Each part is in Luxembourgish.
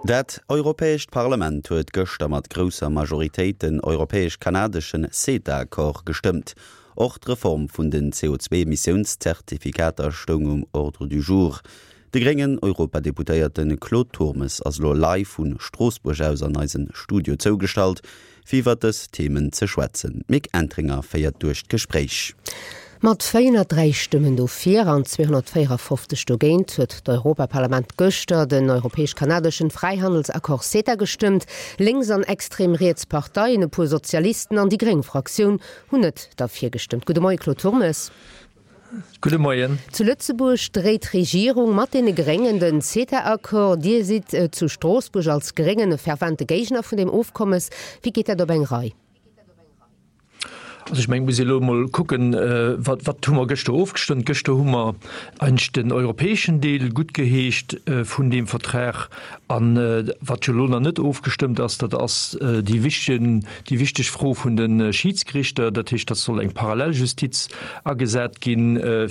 Dat Europäescht Parlament huet gëschter mat grousser Majoritéit den europäesch-kanadeschen CETA-Accord gestëmmt. Och d'Reform vun den CO2-Emissiounszertifikater stoung um Ordre du jour. De gréngen Europadeputéierte Claude Turmes ass elo live vu Stroossbuerg aus an eise Studio zougestallt. fir iwwer dës Themen ze schwätzen. D'Mick Entringer féiert duerch d'Gespréich. Mat 403 Stëmmen dofir an 254 dogéint huet d'Europaparlament gëschter den europäesch-kanadeschen Fräihandelsaccord CETA gestëmmt. Lénks an extrem riets Parteien, e puer Sozialisten an déi gréng Fraktioun hunn net derfir gestëmmt. Gudde Moie Claude Turmes. Gudde Moien. Zu Lëtzebuerg dréit d'Regierung mat deene Gréngen den CETA-Accord. Dir sidd zu Stroossbuerg als Gréngen e fervente Géigner vun deem Ofkommes. Wéi geet dat op eng Rei? Also ech mengen, et muss ee elo emol kucken, wat, wat hu mer gëschter ofgestëmmt. Gëschter hu mer eigentlech den europäeschen Deel guttgeheescht vun deem Vertrag. An wat jo elo nach net ofgestëmmt ass, dat ass déi wichteg, déi wichteg Fro vun de Schiidsgerichter. Dat heescht, datt soll eng Paralleljustiz agesat gi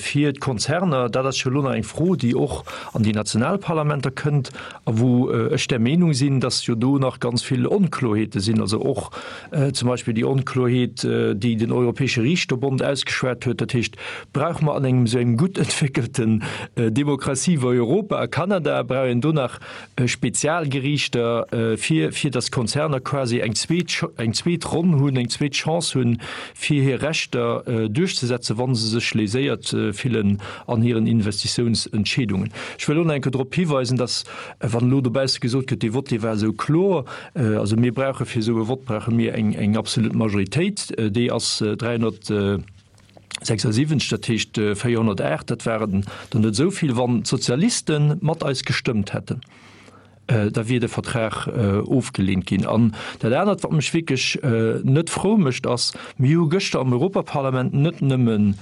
fir d'Konzerner. Dat ass jo elo nach eng Fro, déi och an déi national Parlamenter kënnt a wou ech der Meenung sinn, datt jo do nach ganz vill Onkloheete sinn. Also och zum Beispill déi Onkloheet, déi den Europäesche Riichterbond ausgeschwat huet. Dat heescht, brauche mer an engem esou engem gutt entwéckelten Demokratie wei Europa a Kanada, brauch een do nach Spezialgeriichter, fir fir datt d'Konzerner quasi eng zweet eng zweet Ronn hunn, eng zweet Chance hunn, fir hir Rechter duerchzesetzen, wa se sech léséiert fillen an hiren Investitiounsentscheedungen. Ech wëll och nach eng Kéier drop hiweisen, datt, wann elo dobausse gesot gëtt, dee Vott, dee war esou kloer, also mir brauche fir esou e Vott brauche mir eng eng absolut Majoritéit, déi ass 376, dat heescht 408, dat waren der net esou vill. Wann d'Sozialiste mat eis gestëmmt hätten, da wier de Vertrag ofgeleent ginn. An dat anert, wat mech wierklech net frou mécht, ass, mir hu gëschter am Europaparlament net nëmmen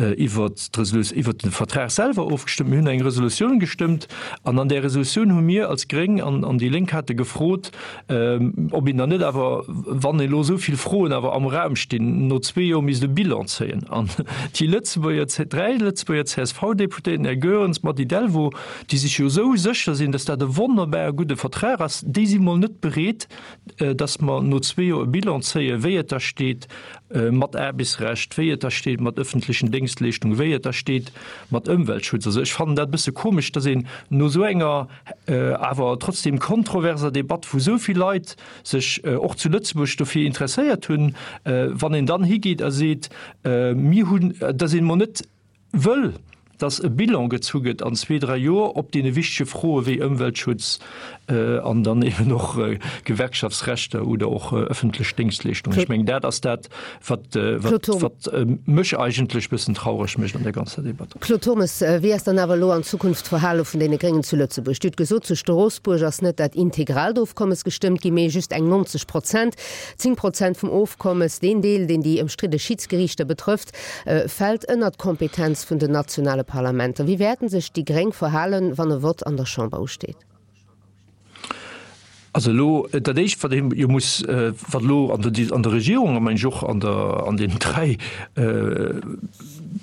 iwwert d'Resolu-, iwwert de Vertrag selwer ofgestëmmt, mir hunn eng Resolutioun gestëmmt an an där Resolutioun hu mir als Gréng an an déi Lénk hate gefrot, ob een dann net awer, wann elo esou vill Froen awer am Raum stinn, no zwee Joer misst e Bilan zéien. An déi Lëtzebuerger, dräi Lëtzebuerger CSV-Deputéierten, Här Goerens, Mady Delvaux, déi sech jo esou sécher sinn, dass dat e wonnerbare gudde Vertrag ass, déi si mol net bereet, dass mer no zwee Joer e Bilan zéien, wéi et da steet mat Aarbechtsrecht, wéi et da steet mat öffentlichen Déngschtleeschtungen, wéi et da steet mat Ëmweltschutz. Also ech fannen dat e bësse komesch, dass een no esou enger awer trotzdem kontroverser Debatt, wou esou vill Leit sech och zu Lëtzebuerg dofir interesséiert hunn, wann een dann higeet a seet, mir hunn, dass een emol net wëll, dass e Bilan gezu gëtt an zwee, dräi Joer op deene wichtege Froe wéi Ëmweltschutz an dann eben och Gewerkschaftsrechter oder och öffentlech Déngschtleeschtungen. Ech mengen, dat ass dat, wat, wat mech eigentlech e bëssen traureg mécht an där ganzer Debatt. Claude Turmes, Wéi ass dann awer elo an Zukunft d'Verhale vun deene Gréngen zu Lëtzebuerg? Dir hutt gesot, zu Stroossbuerg ass net dat integraalt Ofkommes gestëmmt ginn, mee just eng 90 Prozent. 10 Prozent vum Ofkommes, deen Deel, deen déi ëmstridde Schidsgeriichter betrëfft, Fält ënnert d'Kompetenz vun den nationale Parlamenter. Wéi wäerten sech déi Gréng verhalen, wann e Vott an der Chamber usteet? Also elo dat Éischt, wat ee jo muss, wat elo an der an der Regierung a meng ech och an der an den dräi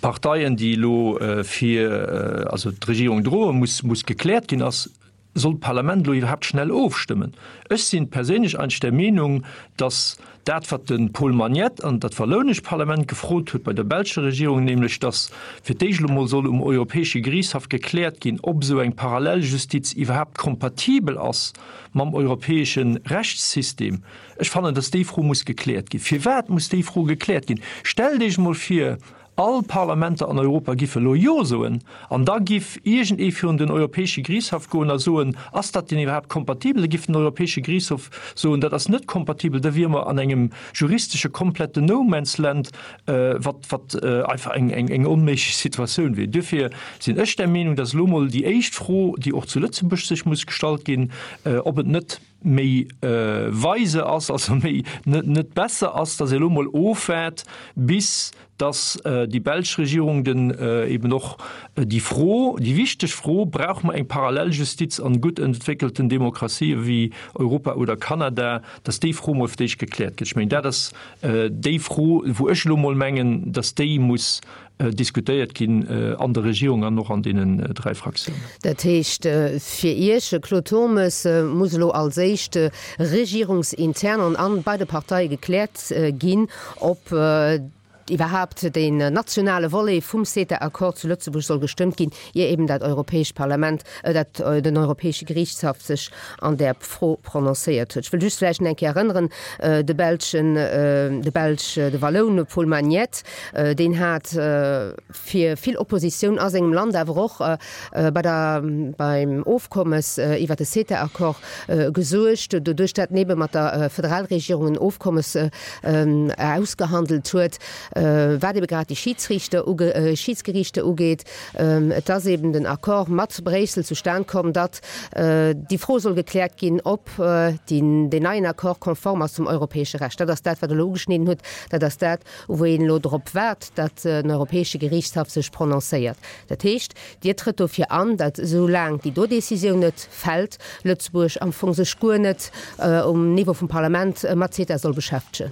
Parteien, déi elo fir also d'Regierung droen, muss muss gekläert ginn, ass, Soll d'Parlament elo iwwerhaapt schnell ofstëmmen? Ech sinn perséinlech eigentlech der Meenung, datt dat, wat de Paul Magnette an dat wallounescht Parlament gefrot huet bei der belscher Regierung, nämlech datt fir d'éischt elo mol soll um Europäesche Geriichtshaff gekläert ginn, ob esou eng Paralleljustiz iwwerhaapt kompatibel ass mam europäesche Rechtssystem, ech fannen, datt déi Fro muss gekläert ginn. Firwat muss déi Fro gekläert ginn? Stellt Iech emol vir, All Parlamenter an Europa giffe elo Jo soen, an da giff iergend ee virun den Europäesche Geriichtshaff goen a soen, Ass dat denn iwwerhaapt kompatibel? Da giff den Europäesche Geriichtshof soen, Dat ass net kompatibel. Da wiere mer an engem juristesche kompletten No Man's Land, wat, wat einfach eng, eng, eng onméiglech Situatioun wier. Duerfir sinn ech der Meenung, dass elo mol déi éischt Fro, déi och zu Lëtzebuerg sech muss gestallt ginn, ob et net méi weise ass, also méi net net besser ass, datt ee elo mol ofwaart, bis datt déi belsch Regierung den eben och déi Fro, déi wichteg Fro, Brauche mer eng Paralleljustiz an gutt entwéckelten Demokratië wéi Europa oder Kanada, datt déi Fro mol fir d'éischt gekläert gëtt. Ech mengen, dat ass déi Fro, wou ech elo mol mengen, datt déi muss. Diskutéiert ginn an der Regierung an och an deenen 3 Fraktiounen. Dat heescht fir Iech, Claude Turmes, muss elo als éischt regierungsintern an an bei de Parteie gekläert ginn, ob iwwerhaapt deen nationale Volet vum CETA-Accord zu Lëtzebuerg soll gestëmmt ginn, ier eben dat Europäescht Parlament, dat den Europäesche Geriichtshaff sech an där Fro prononcéiert huet. Ech wëll just vläicht nach eng Kéier erënneren, de belschen, de Belsch, de Walloun Paul Magnette, Deen hat fir vill Oppositioun a sengem Land, awer och bei der, beim Ofkommes iwwer de CETA-Accord gesuergt, doduerch dat en ebe mat der Föderalregierung en Ofkommes ausgehandelt huet, wat ebe grad déi Schidsriichter uge, Schidsgeriichter ugeet. Et ass eben den Accord mat Bréissel zustan komm, datt déi Fro soll gekläert ginn, ob deen neien Accord konform ass zum europäesche Recht. Dat ass dat, wat Der elo ugeschnidden hutt. Dat ass dat, wou een elo drop waart, datt den Europäesche Geriichtshaff sech prononcéiert. Dat heescht, Dir trëtt dofir an, datt esou laang déi do Décisioun net fält, Lëtzebuerg am Fong sech guer net um Niveau vum Parlament mat CETA soll beschäftegen.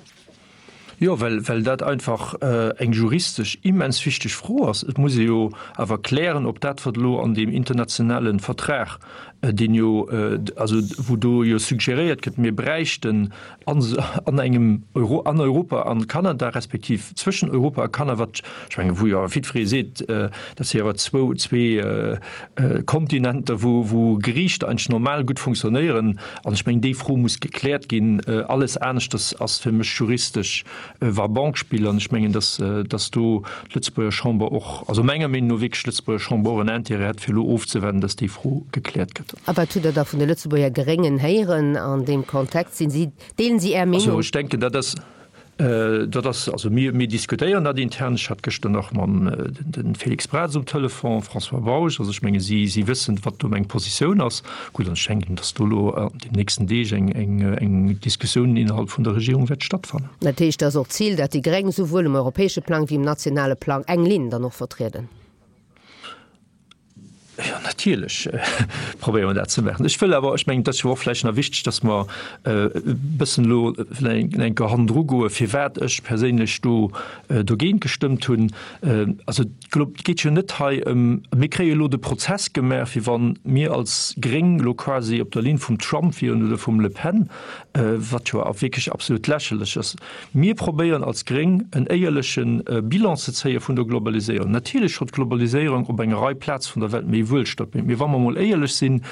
Jo, well, well dat einfach eng juristesch immens wichteg Fro ass. Et muss ee jo awer klären, ob dat, wat elo an deem internationale Vertrag, deen jo, also wou do jo suggeréiert gëtt, mir bräichten an an engem Euro, an Europa an Kanada, respektiv zwëschen Europa a Kanada, wat ech mengen, wou jo jiddweree seet, dat si awer zwou, zwee Kontinenter, wou, wou Geriichter eigentlech normal gutt funktionéieren. An ech mengen, déi Fro muss gekläert ginn. Alles aneschters ass fir mech juristesch Va-banque-Spill. An ech mengen, dass, dass do d'Lëtzebuerger Chamber och, also menger Meenung no wierklech d'Lëtzebuerger Chamber och en Intérêt hätt, fir elo ofzewaarden, dass déi Fro gekläert gëtt. A wat hutt Der da vun de Lëtzebuerger Gréngen héieren an deem Kontext? Sinn si, deelen si Är Meenung? Also ech denken, dat ass, dat ass, also mir, mir diskutéieren dat intern. Ech hat gëschter nach mam de Félix Braz um Telefon, François Bausch. Also ech menge si, si wëssen, wat do meng Positioun ass. Gutt, an ech denken, datt do elo an den nächsten Deeg eng, eng, eng Diskussioun innerhalb vun der Regierung wäert stattfannen. Dat heescht, et ass och d'Zil, datt déi Gréng souwuel um europäesche Plang wéi um nationale Plang eng Linn dann och vertrieden? Jo, natierlech probéiere mer dat ze maachen. Ech wëll awer, ech mengen, et ass jo och vläicht nach wichteg, datt mer e bëssen elo vläicht eng Kéier hannendru goen, firwat ech perséinlech do dogéint gestëmmt hunn. Also et geet jo net hei ëm, mir kréie elo de Prozess gemaach, wéi wa mir als Gréng elo quasi op der Linn vum Trump wieren oder vum Le Pen, wat jo wierklech absolut lächerlech ass. Mir probéieren als Gréng en éierleche Bilan ze zéie vun der Globaliséierung. Natierlech hott d'Globaliséierung op enger Rei Plaz vun der Welt méi Wuelstand bréngt. Mee wa mer emol éierlech sinn,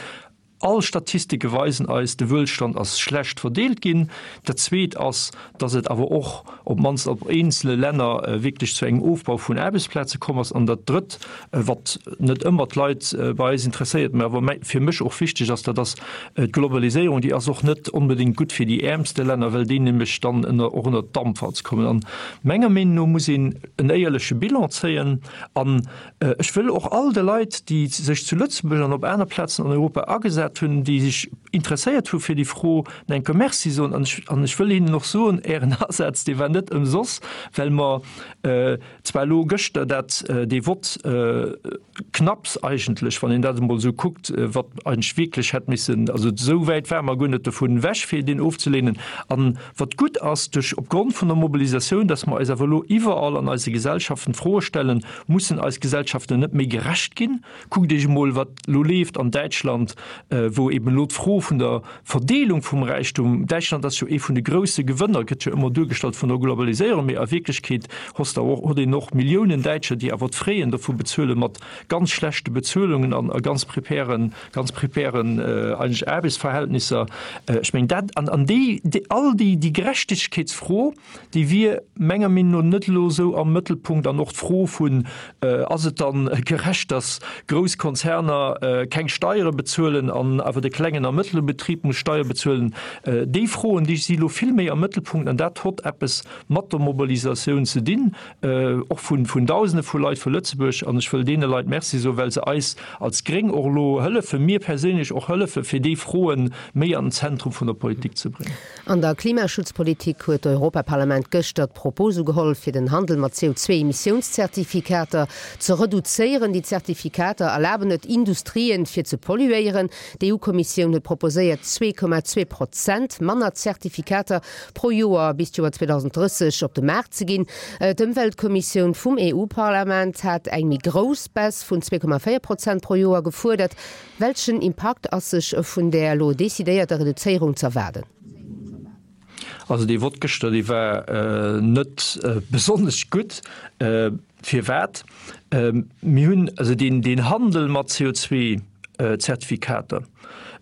all Statistike weisen eis, de Wuelstand ass schlecht verdeelt ginn. Dat Zweet ass, datt et awer och op d'mannst op eenzele Länner wierklech zu engem Ofbau vun Aarbechtsplaze komm ass. An dat Drëtt, wat net ëmmer d'Leit bei eis interesséiert, mä awer fir mech och wichteg ass, dat ass d'Globaliséierung, déi ass och net onbedéngt gutt fir déi äermste Länner, well déi nämlech dann ënner, och ënnert d'Dampwalz kommen. An menger Meenung no muss een en éierleche Bilan zéien. An ech wëll och all de Leit, déi sech zu Lëtzebuerg an op aner Plazen an Europa agesat hunn, déi sech interesséiert hu fir déi Fro, en enke Merci soen. An ech, an ech wëll hinnen och soen, Ären Asaz, dee war net ëmsoss, well mer Zwar elo gëschter dat dee Vott knapps eigentlech, wann een dat emol esou kuckt, wat eigentlech wierklech hätt missen, also esou wäit ware mer guer net dovun ewech fir deen ofzelehnen. An wat gutt ass, duerch opgrond vun der Mobilisatioun, datt mer eis awer elo iwwerall an eise Gesellschaften d'Froe stellen, mussen eis Gesellschaften net méi gerecht ginn? Kuckt Iech emol wat elo leeft an Däitschland, wou eben elo d'Fro vun der Verdeelung vum Räichtum, Däitschland ass jo ee vun de grousse Gewënner, gëtt jo ëmmer duergestallt vun der Globaliséierung, mee a Wierklechkeet hoss der och, huet een och Milliounen Däitscher, déi awer d'Fraien dovu bezuele mat ganz schlechte Bezuelungen an a ganz prepären, ganz prepären eigentlech Aarbechtsverhältnisser. Ech mengen dat, an an déi, all déi, déi Gerechtegkeetsfro, déi wier menger Meenung no net elo esou am Mëttelpunkt an och d'Fro vun, ass et dann gerecht, datt grouss Konzerner keng Steiere bezuelen an awer de klengen a mëttlere Betrib muss Steier bezuelen, déi Froen, déi si elo vill méi am Mëttelpunkt an dat hott eppes mat der Mobilisatioun ze dinn, och vun Dausende vu Leit vu Lëtzebuerg. An ech wëll deene Leit Merci soen, well se eis als Gréng och elo hëllefen, mir perséinlech och hëllefen, fir déi Froen méi an den Zentrum vun der Politik ze bréngen. An der Klimaschutzpolitik huet d'Europaparlament gëschter d'Propos ugeholl, fir den Handel mat CO2-Emissiounszertifikater ze reduzéieren. Déi Zertifikater erlaben et Industrien, fir ze polluéieren. D'EU-Kommissioun huet proposéiert. proposéiert, 2,2 Prozent manner Zertifikater pro Joer bis d'Joer 2030 op de Maart ze ginn. D'Ëmweltkommissioun vum EU-Parlament hat eng méi grouss Baisse vun 2,4 Prozent pro Joer gefuerdert. Welchen Impakt ass sech vun där elo decidéierter Reduzéierung z'erwaarden? Also dee Vott gëschter, dee war net besonnesch gutt. Firwat? Mir hunn also deen, deen Handel mat CO2-Zertifikater,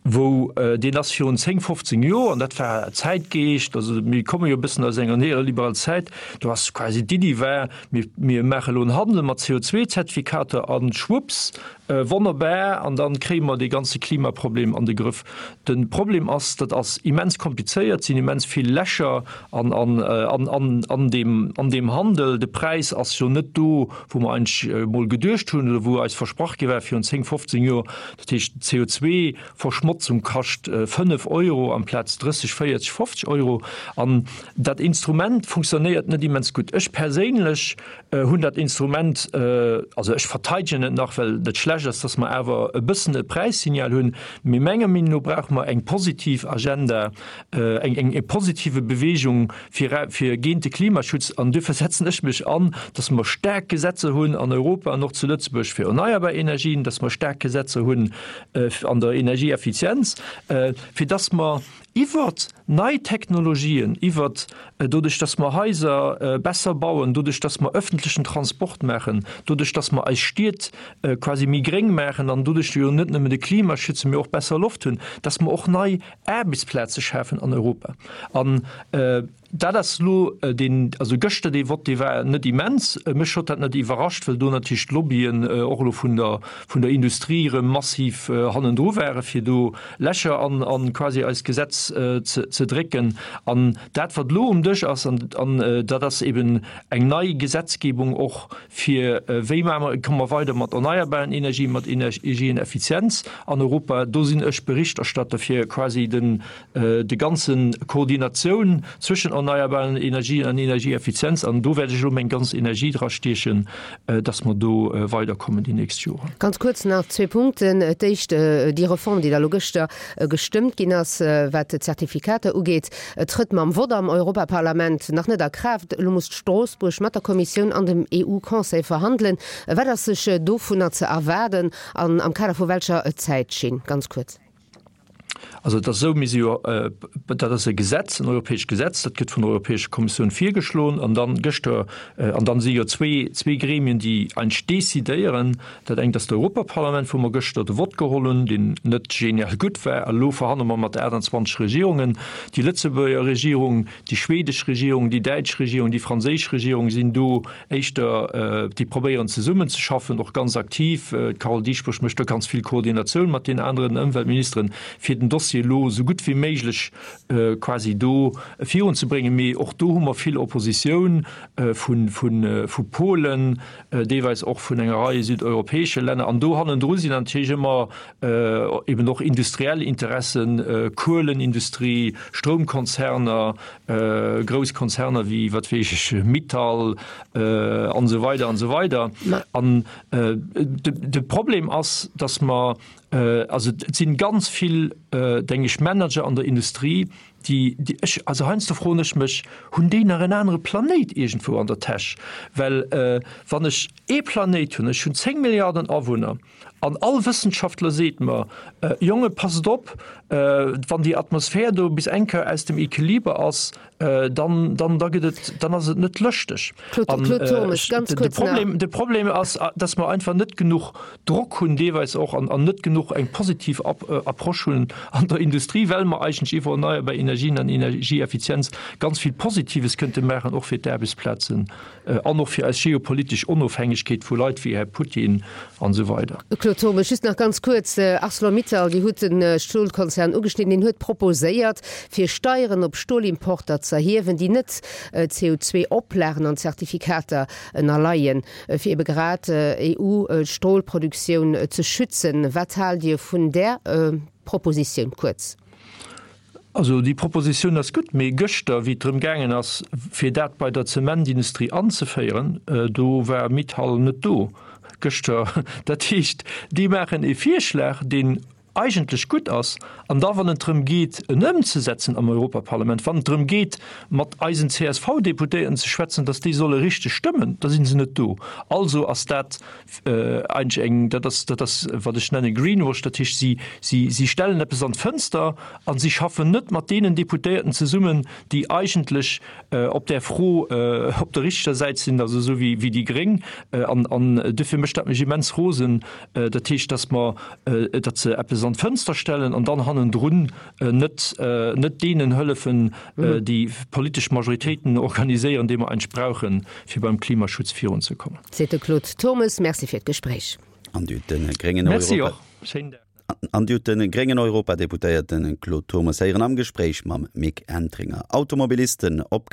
wou deen ass virun 10, 15 Joer, an dat war Zäitgeescht, also mir komme jo e bëssen aus enger neoliberal Zäit, do ass quasi d'Iddi war, mir, mir maache elo en Handel mat CO2-Zertifikater a schwupps, Wonnerbar, an dann kréie mer dee ganze Klimaproblem an de Grëff. De Problem ass, dat ass immens komplizéiert, sinn immens vill Lächer an an deem an deem Handel. De Präis ass jo net do, wou mer eigentlech emol geduecht hunn oder wou eis versprach gi war virun 10, 15 Joer. Dat heescht, d'CO2-Verschmotzung kascht 5 Euro amplaz 30, 40, 50 Euro. An dat Instrument funktionéiert net immens gutt. Ech perséinlech hunn dat Instrument, also ech verteidegen et nach, well et net schlecht ass, dass mer awer e bëssen e Präissignal hunn, mee menger Meenung no brauche mer eng positiv Agenda, eng eng positive Bewegung fir fir géint de Klimaschutz. An duerfir setzen ech mech an, dass mer staark Gesetzer hunn an Europa an och zu Lëtzebuerg fir erneierbar Energien, dass mer staark Gesetzer hunn an der Energieeffizienz, fir dass mer Iwwert nei Technologien, iwwert doduerch dass mer Haiser besser bauen, doduerch dass mer öffentlechen Transport maachen, doduerch dass mer eis Stied quasi méi gréng maachen an doduerch jo net nëmmen de Klima schützen, mee och besser Loft hunn, dass mer och nei Aarbechtsplaze schafen an Europa. An Dat ass elo deen, also gëschter dee Vott, dee war net immens. Mech huet dat net iwwerrascht, well do natierlech d'Lobbyen och elo vun der, vun der Industrie erëm massiv hannendru ware fir do Lächer an, an quasi eist Gesetz ze, ze drécken. An dat, wat elo um Dësch ass, an, an dat ass eben eng nei Gesetzgebung och fir, wéi maache mer, komme mer weider mat erneierbaren Energien, mat Energieneffizienz an Europa. Do sinn ech Berichterstatter fir quasi den, de ganzen Koordinatioun zwëschen erneierbaren Energien an Energieeffizienz, an do wäert ech elo meng ganz Energie dra stiechen, dass mer do weiderkommen déi nächst Joren. Ganz kuerz nach zwee Punkten. D'éischt, déi Reform, déi da elo gëschter gestëmmt ginn ass, wat d'Zertifikater ugeet, trëtt mam Vott am Europaparlament nach net a Kraaft. Elo muss Stroossbuerg mat der Kommissioun an dem EU-Conseil verhandelen. Wat ass sech dovunner ze erwaarden an am Kader vu welcher Zäitschinn? Ganz kuerz. Also et ass esou, mir si jo, dat ass e Gesetz, en europäescht Gesetz, dat gëtt vun der Europäescher Kommissioun virgeschloen an dann gëschter, an dann si jo zwee, zwee Gremien, déi eigentlech decidéieren. Dat engt ass d'Europaparlament, wou mer gëschter de Vott geholl hunn, deen net genial gutt war. A elo verhandele mer mat 28 Regierungen. Déi Lëtzebuerger Regierung, déi schwedesch Regierung, déi däitsch Regierung, déi franséisch Regierung sinn do éischter, déi probéieren zesummenzeschaffen, och ganz aktiv. D'Carole Dieschbourg mécht do ganz vill Koordinatioun mat den aneren Ëmweltministeren, fir den Dossier elo esou gutt wéi méiglech quasi do virunzebréngen. Mee och do hu mer vill Oppositioun vu Polen, deelweis och vun enger Rei südeuropäesche Länner. An do hannendru sinn natierlech ëmmer eben och industriell Interessen, Kuelenindustrie, Stroumkonzerner, grouss Konzerner wéi, wat weess ech, Mittal an esou weider an esou weider. An de Problem ass, datt mer, also et sinn ganz vill, denke ech, Manager an der Industrie, déi, déi ech, also heiansdo froen ech mech, hunn déi nach en anere Planéit iergendwou an der Täsch? Well wann ech ee Planéit hunn, ech hunn 10 Milliarden Awunner, An all Wëssenschaftler seet mer, Jonge passt op, wann déi Atmosphär do bis eng Kéier aus dem Equiliber ass, dann, dann, da gëtt et, dann ass et net lëschteg. Claude, Claude Turmes, ganz de kuerz nach. Problem, de Problem ass, dass mer einfach net genuch Drock hunn deelweis och an, an net genuch eng positiv Approche hunn an der Industrie, well mer eigentlech iwwer erneierbar Energien an Energieeffizienz ganz vill Positives kënnte maachen, och fir d'Aarbechtsplazen. An och fir eis geopolitesch Onofhängegkeet vu Leit wéi Här Putin an esou weider. Claude Turmes, just nach ganz kuerz, Arcelor-Mittal, Dir hutt de Stolkonzern ugeschnidden, deen huet proposéiert, fir Steieren op Stolimporter z'erhiewen, déi net CO2-Oplagen an Zertifikater ënnerleien, fir ebe grad EU-Stolproduktioun ze schützen. Wat haalt Dir vun där Propositioun? Kuerz. Also déi Propositioun ass gutt, mee gëschter, wéi et drëm gaangen ass, fir dat bei der Zementindustrie anzeféieren, do war Mittal net do gëschter. Dat heescht, déi maachen e Virschlag, deen. eigentlech gutt ass, an da wann et drëm geet, en ëmzesetzen am Europaparlament, wann et drëm geet, mat eisen CSV-Deputéierten ze schwätzen, datt déi solle richteg stëmmen, da si se net do. Also ass dat eigentlech eng, dat ass, dat ass wat ech nenne Greenwash, dat heescht, si, si, si stellen eppes an d'Fënster a si schaffen net mat deenen Deputéierten zesummen, déi eigentlech op där Fro op der richteger Säit sinn, also esou wéi, wéi déi Gréng. An, an duerfir mécht dat mech immens rosen. Dat heescht, datt mer, datt se eppes an d'Fënster stellen an dann hannendrun net, net deenen hëllefen, déi politesch Majoritéiten organiséieren, déi mer eigentlech brauchen, fir beim Klimaschutz virunzekommen. Seet de Claude Turmes. Merci fir d'Gespréich. An Dir hutt de gréngen Merci och. Schéinen Dag. An Dir hutt de gréngen Europadeputéierte Claude Turmes héieren am Gespréich mam Mick Entringer. Automobilisten, opgepasst!